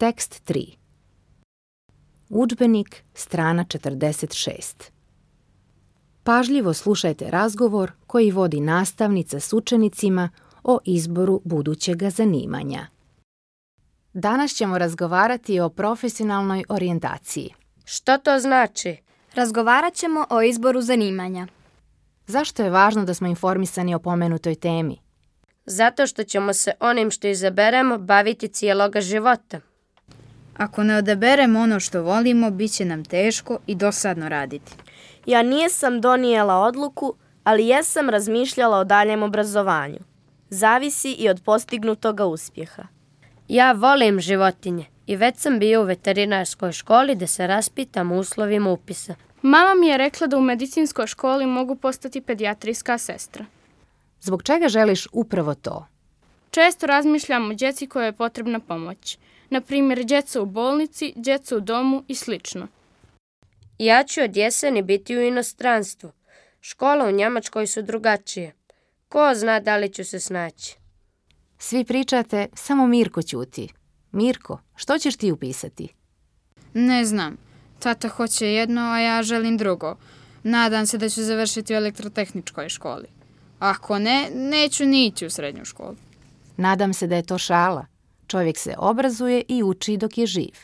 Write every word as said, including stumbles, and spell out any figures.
Tekst tri. Udžbenik, strana četrdeset šest. Pažljivo slušajte razgovor koji vodi nastavnica s učenicima o izboru budućega zanimanja. Danas ćemo razgovarati o profesionalnoj orijentaciji. Što to znači? Razgovarat ćemo o izboru zanimanja. Zašto je važno da smo informisani o pomenutoj temi? Zato što ćemo se onim što izaberemo baviti cijeloga života. Ako ne odaberemo ono što volimo, bit će nam teško i dosadno raditi. Ja nisam donijela odluku, ali jesam razmišljala o daljem obrazovanju. Zavisi i od postignutoga uspjeha. Ja volim životinje i već sam bio u veterinarskoj školi da se raspitam o uslovima upisa. Mama mi je rekla da u medicinskoj školi mogu postati pedijatrijska sestra. Zbog čega želiš upravo to? Često razmišljam o djeci kojoj je potrebna pomoć. Na primjer, djeca u bolnici, djeca u domu i slično. Ja ću od jeseni biti u inostranstvu. Škola u Njemačkoj su drugačije. Ko zna da li ću se snaći? Svi pričate, samo Mirko ćuti. Mirko, što ćeš ti upisati? Ne znam. Tata hoće jedno, a ja želim drugo. Nadam se da ću završiti u elektrotehničkoj školi. Ako ne, neću ni ići u srednju školu. Nadam se da je to šala. Čovjek se obrazuje i uči dok je živ.